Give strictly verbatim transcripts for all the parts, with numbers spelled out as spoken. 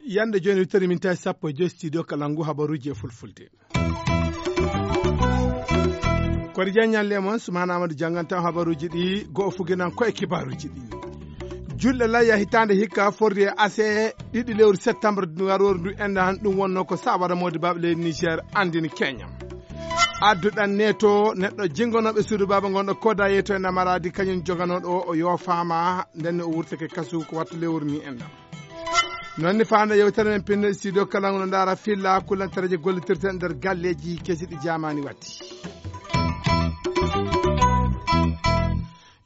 Yande jooni wittere min tawi sappo e joyi studio kala ngu habaruuji e fulfulde. Kori Diagne ñalle mon, Soumana Amadou jannganta habaruuji ɗi, go'o fuginan ko e kibaaruuji ɗi. Julɗe layya hitaande hikka forri e ase ɗiɗi lewru septembre ndu garooru ndu enɗan, ɗum wonno ko sawara moodi baaɓe leydi Niger anndini Kenya. Adduɗan neeto neɗɗo jingonooɓe suudu baaba ngonɗo koda yeeto e namaradi kañum joganooɗo o, o yoofaama, ndenne o wurtake kasu ko wattu lewru ni enɗan. Noon ni faande yewtere men pinno studio kala no ndaara filla kullantareeje gollitirte nder galleeji kesi ɗi jaamaani watti.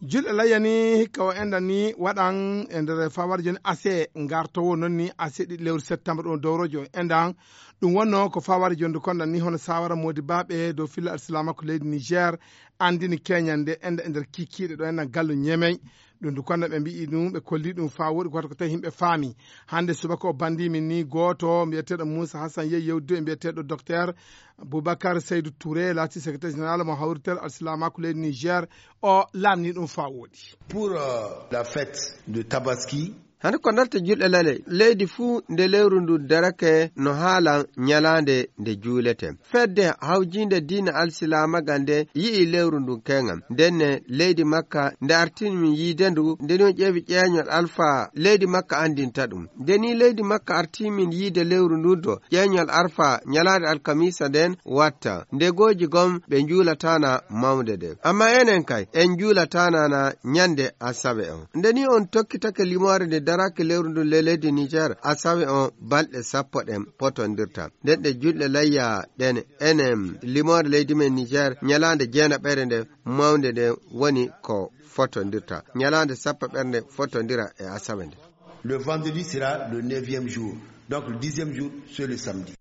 Julɗe layyani hikka o enɗan ni waɗan e nder fawar joni ase ngartowo noon ni ase ɗiɗi lewru septembre ɗum dowrojo enɗan. Ɗum wonno ko fawar joni konɗan ni hono sawara moodi baaɓe dow filla alsilaama ko leydi Niger anndini Kenya nde enɗan e nder kikiiɗe ɗo enɗan gallo Ñemey. Ɗum ndu konɗan ɓe mbi'i ɗum, ɓe kolli ɗum faa woɗi ko wata ko tawi yimɓe faami. Hannde subaka o banndii min ni gooto mbiyeteeɗo Moussa Hassan Yey yewdude e mbiyeteeɗo docteur Boubacar Seydou Touré, laati secrétaire général mo hawritel alsilaamaaku leydi Niger, o laamni ɗum faa woɗi. Pour euh, la fête de Tabaski, hande ko darta julɗe lale, leydi fuu nde lewru ndu darake no haala ñalaande nde juulete. Fedde hawjiinde diina alsilaamaga nde yi'i lewru ndu keŋa. Ndenne leydi Makka nde artini min yiide ndu, nde ni on ƴeewi ƴeeñol alfa leydi Makka anndinta ɗum. Nde ni leydi Makka arti min yiide lewru ndu do, ƴeeñol arfa ñalaande alkamiisa nden watta. Ndegooji gom ɓe njuulatana mawnde nde. Amma enen kay, en njuulatana na ñande asawe on. Nde ni on tokkitake limoore nde darake lewru ndu le leydi Niger, asawe on balɗe sappo ɗen potondirta. Nden ɗe julɗe layya ɗen enen limoore leydi men Niger, ñalaande jeenaɓere nde mawnde nde woni ko fotondirta. Ñalaande sappo ɓernde fotondira e asawe nde. Le vendredi sera le neuvième jour. Donc le dixième jour, c'est le samedi.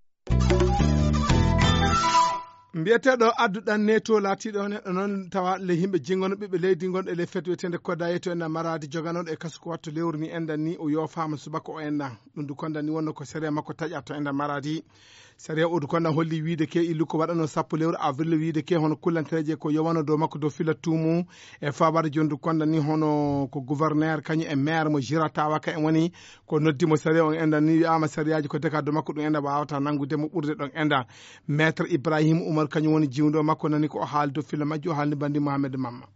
Mbiyeteeɗo adduɗan neto laatiiɗo neɗɗo noon tawa le yimɓe jingono ɓiɓɓe leydi gonɗo e le fête wiyetende koda yeto en maradi joganoɗo e kasu ko wattu lewru ni enɗan ni o yoofaama subaka o enɗan. Ɗum du konɗan ni wonno ko sariya makko taƴa to enɗan maradi. Sariya o du konɗan holli wiide ke illu ko waɗano sappo lewru avril wiide ke hono kullantereje ko yowano dow makko dow fila tuumu e fawade joni du konɗan ni hono ko gouverneur kañum e maire mo jiratawa ka en woni ko noddi mo sariya on enɗan ni wi'ama sariyaaji ko deka dow makko ɗum enɗan wawata nanngude mo ɓurde ɗon enɗan. Maître Ibrahim Oumar kañum woni jiwdo makko nani ko o haali dow fila majji o haalni bandi Mohamed Mamma.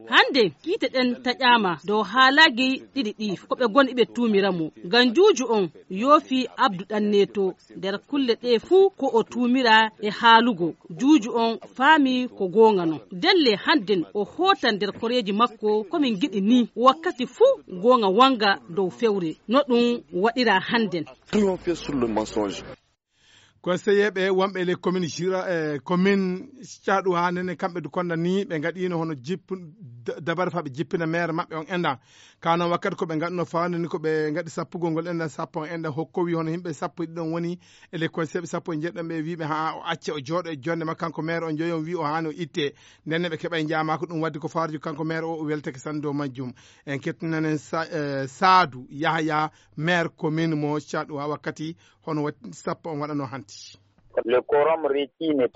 Hannde kiite ɗen taƴaama dow haalaaji ɗiɗi ɗi ko ɓe gon iɓe tuumira mo ngam juuju on yoofi Abdu ɗan neeto nder kulle ɗe fuu ko o tuumira e haalugo juuju on faami ko goonga non. Ndelle hannden o hootan nder koreeji makko ko min ngiɗi ni wakkati fuu goonga wanga dow fewre no ɗum waɗira hannden. Triompher sur le mensonge. Conseiller ɓe wonɓe les communes jura e commune caɗu ha nene kamɓe du konda ni ɓe gaɗino hono jippu dabare fa ɓe jippina maire maɓɓe on enɗan. Ka noon wakkati ko ɓe gaɗno fawande ni ko ɓe gaɗi sappugol ngol enɗan sappo on enɗan hokkowi hono yimɓe sappo e ɗiɗon woni e les conseiller ɓe sappo e jeɗɗon ɓe wiɓe ha o acce o jooɗo e jonde makko kanko maire on joyi on wi o hani o itte. Ndenne ɓe keɓa e jaama ko ɗum waddi ko farju kanko maire o o weltake sanne dow majjum. En kettinanen saadu yahaya maire commune mo caɗu ha wakkati hono sappo on waɗano hanti.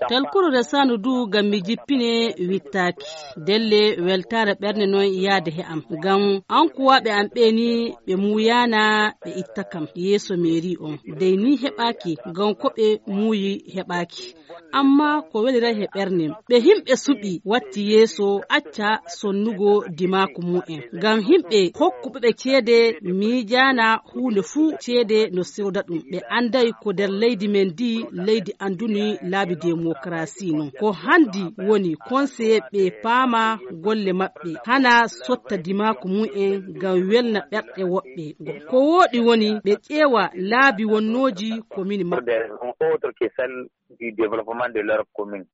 Talkuru resano du ngam mi jippine wittaaki. Delle weltaare ɓernde noon yaade he am ngam ankuwaaɓe am ɓe ni ɓe muuyana ɓe itta kam yeeso meeri on dey ni heɓaaki ngam ko ɓe muuyi heɓaaki. Amma ko weliray he ɓernem ɓe himɓe suɓi watti yeeso acca sonnugo dimaaku mu'en ngam himɓe hokkuɓe ɓe ceede miijaana huunde fuu ceede no sewda ɗum ɓe annday ko nder leydi men ndi leydi annduni laabi demokarasi non ko hanndi woni konseye ɓe paama golle maɓɓe hana sotta dimaaku mu'en ngam welna ɓerɗe woɓɓe ko wooɗi woni ɓe ƴeewa laabi wonnooji ko min maɓɓe. Du développement de leur commune.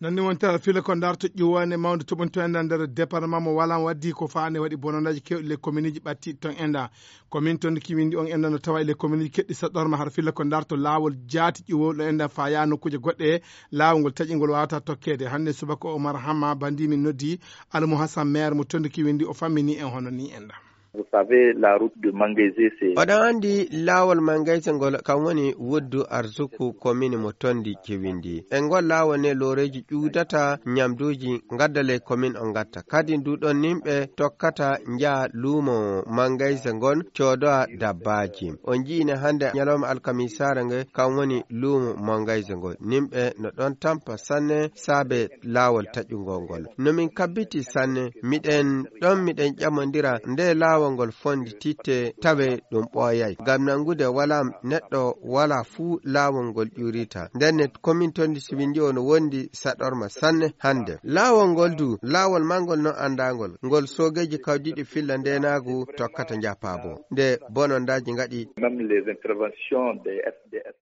Noon ni wonta fila ko ndarto ƴuwande mawde toɓonto enɗan nder département mo walan waddi ko faande waɗi bonondaji kewɗi le commune ji ɓatti ton enɗan. Commune ton ki windi on enɗan no tawa le commune ji keɗɗi saɗɗorma har fila ko ndarto laawol jaati ƴuwowɗo enɗan faya nokkuuje goɗɗe laawol ngol taƴingol wawata tokkede hannde subaka Omar Hamma bandi min noddi Alamu Hassan maire mo tondi ki windi o fammini en hono ni enɗan. Vous savez, la route de Mangaise, c'est... Oɗon anndi laawol Mangaise ngol, kam woni wuddu arsuku komini mo Tondi Cewindi. E ngol laawol ne looreeji ƴuudata ñamduuji ngadda ley komin o ngatta. Kadi ndu ɗon nimɓe tokkata njaha luumo Mangaise ngon coodowa dabbaaji. On nji'ine hannde ñalawma alkamisaare nge, kam woni luumo Mangaise ngol. Nimɓe no ɗon tampa sanne saabe laawol taƴungol ngol. No min kabbiti sanne, miɗen ɗon miɗen ƴamondira nde laawol ngol fondi titte tawe ɗum ɓooyay. Ngam nangude wala neɗɗo wala fuu laawol ngol ƴurita. Nden ne komin Tondi Cewindi o no wondi saɗorma sanne hannde. Laawol ngol du, laawol mangol non anndangol. Ngol soogeeji kawdiiɗi filla ndeenaagu tokkata njapaabo. Nde bonondaaji ngaɗi. Même les interventions des S D S.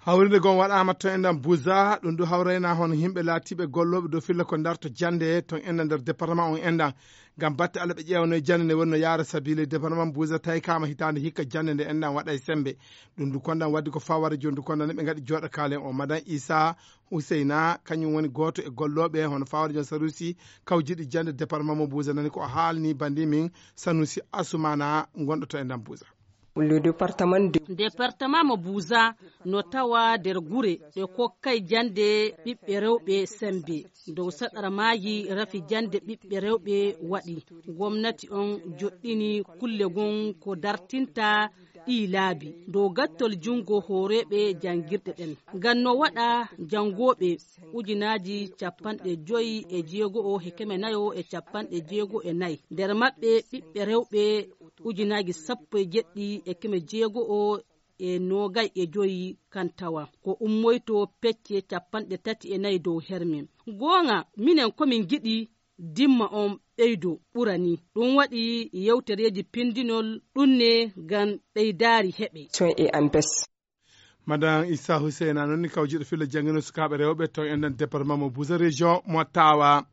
Hawrinde gom waɗaama to enɗan Buza, ɗum du hawrayna hono yimɓe laatiiɓe gollooɓe dow filla ko ndarto jannde to enɗan nder département on enɗan. Ngam batte Allah ɓe ƴeewano e jannde nde woni no yaara sabiile département Buza tawi kaama hitaande hikka jannde nde enɗan waɗa e sembe. Ɗum du konɗan waddi ko faware jondu konɗan ɓe ngaɗi jooɗo kaalen o. Madan Isa Huseyna, kañum woni gooto e gollooɓe hono faware jon Sanusi kawjiɗi jannde département mo Buza nani ko o haalni bandi min Sanusi Asumana gonɗo to enɗan Buza. Le département de... Département mo Buza no tawa nder gure ɗe kokkay jannde ɓiɓɓe rewɓe sembe. Dow saɗara maaji rafi jannde ɓiɓɓe rewɓe waɗi. Gomnati on joɗɗini kulle gon ko dartinta ɗii laabi. Dow gattol junngo hooreeɓe janngirɗe ɗen. Ngam no waɗa janngooɓe ujunaaji capanɗe joyi e jeego'o e keme nayo e capanɗe jeego e nayi. Nder maɓɓe ɓiɓɓe rewɓe ujunaaji sappo e jeɗɗi e keme jeego'o e noogay e joyi kan tawa. Ko ummoyto pecce capanɗe tati e nayi dow herme. Goonga, minen ko min ngiɗi dimma on ɓeydo ɓura ni. Ɗum waɗi yewtereeji pindinol ɗum ne ngam ɓeydaari heɓe. Son e an bes. Madan Issa Hussein, a noon ni kawjiɗo filla janngino sukaaɓe rewɓe to enɗan département mo Bouza région mo Tawa.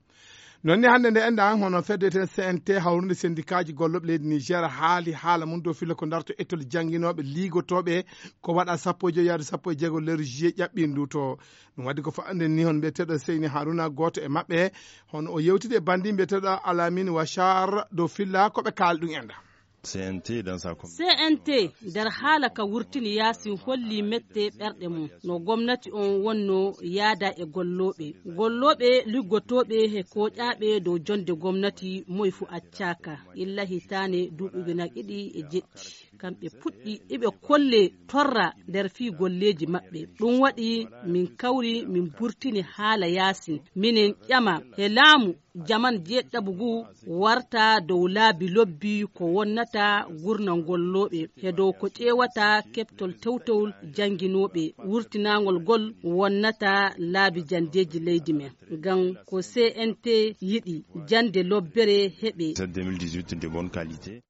Noon ni hannde nde enɗan hono fedde eten C N T hawrunde sendikaaji gollooɓe leydi Niger haali haala mum dow filla ko darto école jannginooɓe liigotooɓe ko waɗa sappo e joyi yaade sappo e jeego lewru juillet ƴaɓɓindu to. Ɗum waɗi ko fa'ande ni hono mbiyeteeɗo Seyni Haruna gooto e maɓɓe hono o yewtidi e banndi mbiyeteeɗo Alamin Wachar dow filla ko ɓe kaali ɗum enɗan. C N T dans sa com- C N T nder haala ka wurtini yaasin holli mette ɓerɗe mum no gomnati on wonno yaada e gollooɓe gollooɓe liggotooɓe he kooƴaaɓe dow jonde gomnati moy fu accaaka illa hitaane duuɓi ujunaaji ɗiɗi e jeɗɗi kamɓe puɗɗi iɓe kolle torra nder fii golleeji maɓɓe ɗum waɗi min kawri min burtini haala yaasin minen ƴama he laamu jaman jeeɗiɗaɓu ngu warta dow laabi lobbi ko wonnata gurnangol looɓe he dow ko ƴeewata keɓtol tewtowol jannginooɓe wurtinaangol ngol wonnata laabi janndeeji leydi men ngam ko C N T yiɗi jannde lobbere heɓe. Cette deux mille dix-huit de bonne qualité.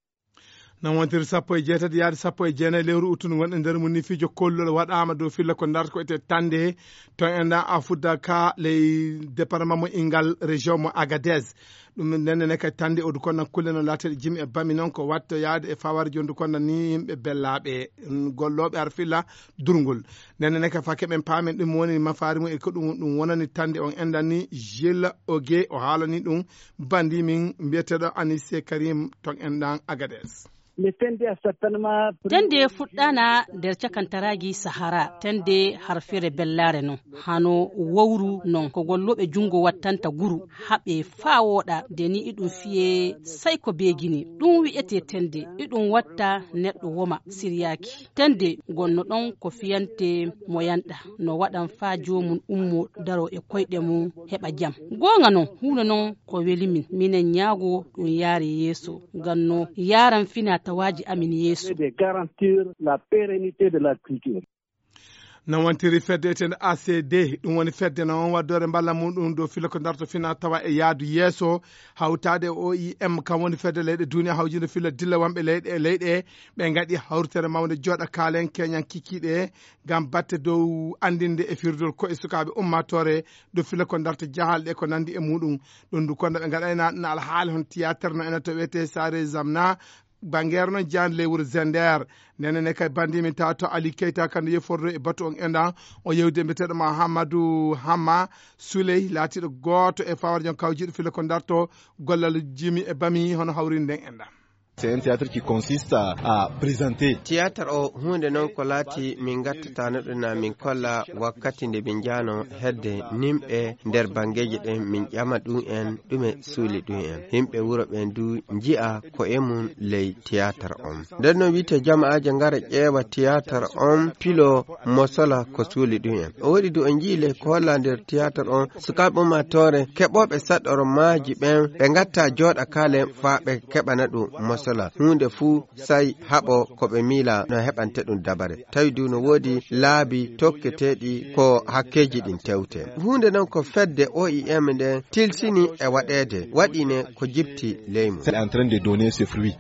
No wontiri sappo e jeetati yaade sappo e jeenayi lewru uttundu wonɗe nder mum ni fijo kollol waɗaama dow filla ko darta ko ete tande to enɗan a fudda ka ley département mo ingal région mo Agadez. Ɗum nennene kay tande odu konna kulle no lateɗe jimi e bami noon ko watta yaade e faware jondu konna ni yimɓe bellaaɓe gollooɓe har filla durngol. Nennene kay fakke ɓen paamen ɗum woni mafaari mum e ko ɗum ɗum wonani tande on enɗan ni Gilles Oge o haalani ɗum. Bandi min mbiyeteeɗo Anise Karim to enɗan Agadez. Tende fuɗɗana nder cakantaraaji Sahara, tende harfere bellaare non, hano wowru non, ko gollooɓe junngo wattanta guru, haɓe faa wooɗa, nde ni iɗum fiye say ko beegini. Ɗum wi'etee tende, iɗum watta neɗɗo woma, siryaaki. Tende gonno ɗon ko fiyante mo yanɗa, no waɗan faa joomum ummo daro e koyɗe mum heɓa jam. Goonga non, huunde non ko weli min, minen ñaago ɗum yaare yeeso, ngam no yaaran fina tawaaji amin yeeso. De garantir la pérennité de la culture. No wontiri fedde etende A C D, ɗum woni fedde no on waddore mballa muɗum dow filo ko darto fina tawa e yaadu yeeso, hawtaade e O I M, kam woni fedde leyɗe duniya hawjinde filo dilla wonɓe leyɗe e leyɗe, ɓe ngaɗi hawritere mawnde jooɗa kaalen keñan kikiiɗe ngam batte dow anndinde e firdol ko e sukaaɓe ummaatoore dow filo ko darta jahal ɗe ko nanndi e muɗum. Ɗum du kono ɓe ngaɗayna ɗum alhaali hon tiyaatere no ena to wiyetee Saare Zamna, Banngeere noon, jaan ley wuro Zender. Nene ne kay banndi min tawa to Ali Keita, kadi yefordo e batu on enɗan. O yewde mbiyeteeɗo Mahamadou Hamma Souley, laatiiɗo gooto e fawar jon kawjiiɗo filla ko darto gollal jimi e bami hono hawrinde nden enɗan. C'est un théâtre qui consiste à, à présenter. Théâtre o huunde noon ko laati min gattataano ɗum na min kolla wakkati nde min njaano hedde nimɓe nder banngeeji ɗen, min ƴama ɗum en ɗume suuli ɗum en. Yimɓe wuro ɓen du nji'a ko e mum ley théâtre on. Nden noon wiite jama'aaje ngara ƴeewa théâtre on, pilo mosola ko suuli ɗum en. O waɗi du o njii ley ko holla nder théâtre on, sukaaɓe ummaatoore keɓooɓe saɗɗoro maaji ɓen, ɓe ngatta jooɗa kaalen faa ɓe keɓana ɗum mosola. Huunde fuu sai haɓo ko ɓe miila no heɓante ɗum dabare. Tawi du no woodi laabi tokketeeɗi ko hakkeeji ɗin tewte. Huunde non ko fedde O I M nden tilsini e waɗeede, waɗi ne ko jipti ley mum. C'est en train de donner ses fruits.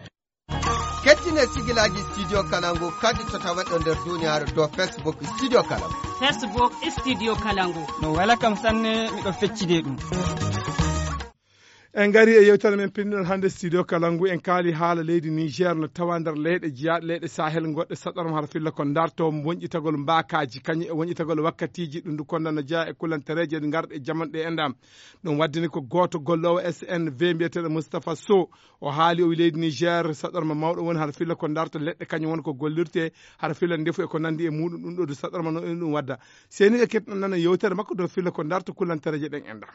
Kettine sigilaaji Studio Kalangu kadi to taweɗo nder duniyaaru dow Facebook Studio Kalangu. Facebook Studio Kalangu. No wela kam sanne, miɗo feccide ɗum. En ngari e yewtere men pinɗon hannde Studio Kalangu. En kaali haala leydi Niger no tawa nder leyɗe jeyaaɗe leyɗe Sahel goɗɗe saɗɗorma hara filla ko darto wonƴitagol mbaakaaji, kañum e wonƴitagol wakkatiiji ɗum ndu konda no jeyaa e kulantereeje ngarɗe jaman ɗe enɗam. Ɗum waddini ko gooto golloowo S N V mbiyeteeɗo Moustapha Sow. O haali o wi leydi Niger saɗɗorma mawɗo woni hara filla ko darto leɗɗe kañum woni ko gollirte hara filla ndefu e ko nandi e muɗum. Ɗum ɗo du saɗɗorma no ɗum wadda. Seni e keɗɗon nana yewtere makko dow filla ko darto kulantereeje ɗen enɗam.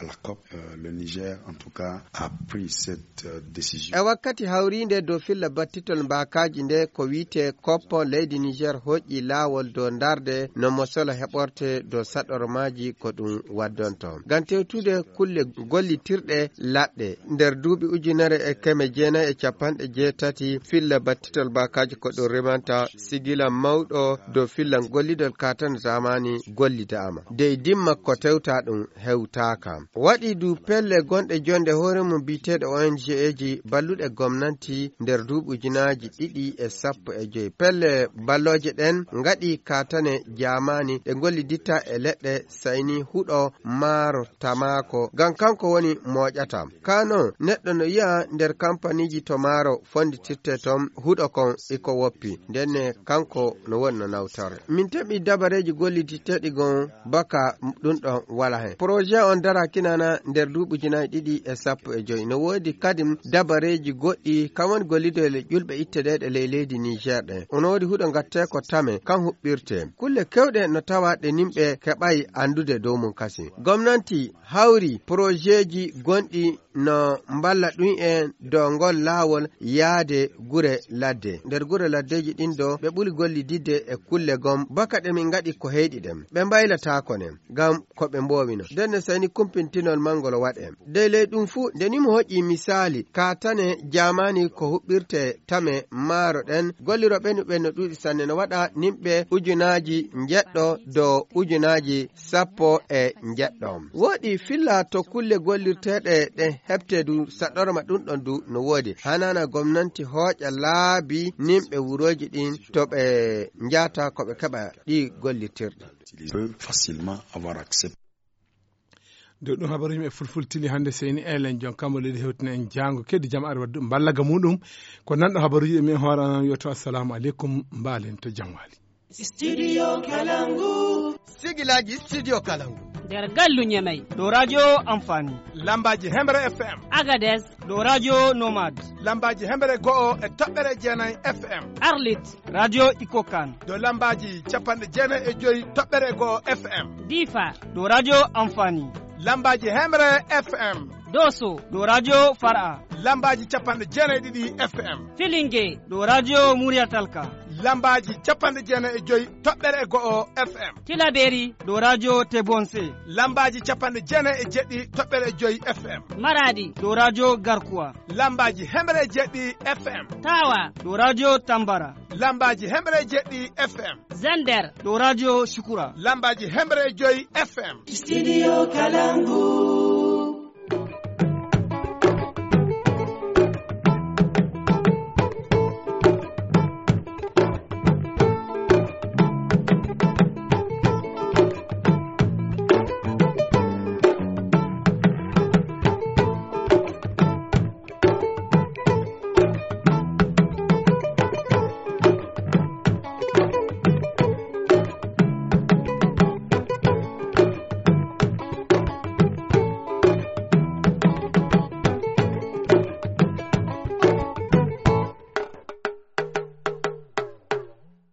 À la COP, euh, le Niger, en tout cas, a pris cette, euh, décision. E wakkati hawriinde dow filla battitol mbaakaaji nde ko wiite COP, leydi Niger hoƴƴi laawol dow darnde no mosola heɓorte dow saɗɗormaaji ko ɗum waddonto. Ngam tewtude kulle gollitirɗe laɗɗe, nder duuɓi ujunere e keme jeenayi e capanɗe jeetati filla battitol mbaakaaji ko ɗum rimanta sigila mawɗo dow filla gollidol kaatan zamani gollidaama. Dey dimma ko tewta ɗum hewtaaka. Waɗi du pelle gonɗe jonde hoore mum biyeteeɗe O N G eji balluɗe gomnanti nder duuɓi ujunaaji ɗiɗi e sappo e joy. Pelle ballooje ɗen ngaɗi kaatane jaamaani ɗe ngolliditta e leɗɗe sayni huɗo maaro tamaako. Ngam kanko woni mooƴata. Kaa non, neɗɗo no yi'a nder kampaniiji to maaro fonditirte ton huɗo kon iko woppi. Ndenne kanko no woni no nawtore. Min teɓi dabareeji golliditteeɗi gon baka ɗum ɗon wala hen. Projet on dara kinana nder duuɓi ujunaaji ɗiɗi e sappo e joy. No woodi kadi dabareeji goɗɗi kan woni gollidoyle ƴulɓe ittedeeɗe ley leydi Niger ɗen. Ono woodi huɗo gatte ko tame kan huɓɓirte. Kulle kewɗe no tawa ɗe nimɓe keɓay anndude dow mum kasi. Gomnanti hawri projetji gonɗi no mballa ɗum en dow ngol laawol yaade gure ladde. Nder gure laddeeji ɗin ɗo, ɓe ɓuri gollididde e kulle gom, baka ɗe min ngaɗi ko heyɗi ɗen. Ɓe mbaylataako nen, ngam ko ɓe mboowino. Nden no sayni kumpintinol mangol waɗe. Dey ley ɗum fuu, nde ni mo hoƴƴi misaali, kaatane jaamaani ko huɓɓirte tame maaro ɗen, gollirooɓe no ɓen no ɗuuɗi sanne, no waɗa nimɓe ujunaaji njeɗɗo dow ujunaaji sappo e njeɗɗo. Woɗi filla to kulle gollirteeɗe ɗen heɓte du saɗɗorma ɗum ɗon du no woodi. Hanana gomnanti hooƴa laabi nimɓe wurooji ɗin to ɓe njaata ko ɓe keɓa ɗi gollirtirɗi. Peut facilement avoir accès. Nde ɗum habaruji men e fulfultini hannde seyni elen jon kambo leydi hewtina en jaango keddi jam ari waddu mballaga muɗum. Ko nanɗo habaruji e min hoore an wiyoto assalamu aleykum, mbaalen to jam waali. Studio Kalangu. Sigilaji Studio Kalangu. Nder gallu Ñamey. Ɗo radio Amfani. Lambaji Hemre F M. Agadez. Ɗo radio Nomad. Lambaji Hemre go'o e toɓɓere jeenayi F M. Arlit. Radio Ikokan. Ɗo lambaji capanɗe jeenayi e joyi toɓɓere go'o F M. Difa. Ɗo radio Amfani. Lambaji Hemre F M. Doso. Ɗo radio Far'a. Lambaji capanɗe jeenayi e ɗiɗi F M. Filinge. Ɗo radio Muriyatalka. Lambaji capanɗe jeenayi e joyi toɓɓere e go'o F M. Tilaberi. Ɗo radio Tebonse. Lambaji capanɗe jeenayi e jeɗɗi toɓɓere e joyi F M. Maradi. Ɗo radio Garkuwa. Lambaji hemre e jeɗɗi F M. Tawa. Ɗo radio Tambara. Lambaji hemre e jeɗɗi F M. Zender. Ɗo radio Shukura. Lambaji hemre e joyi F M. Studio Kalangu.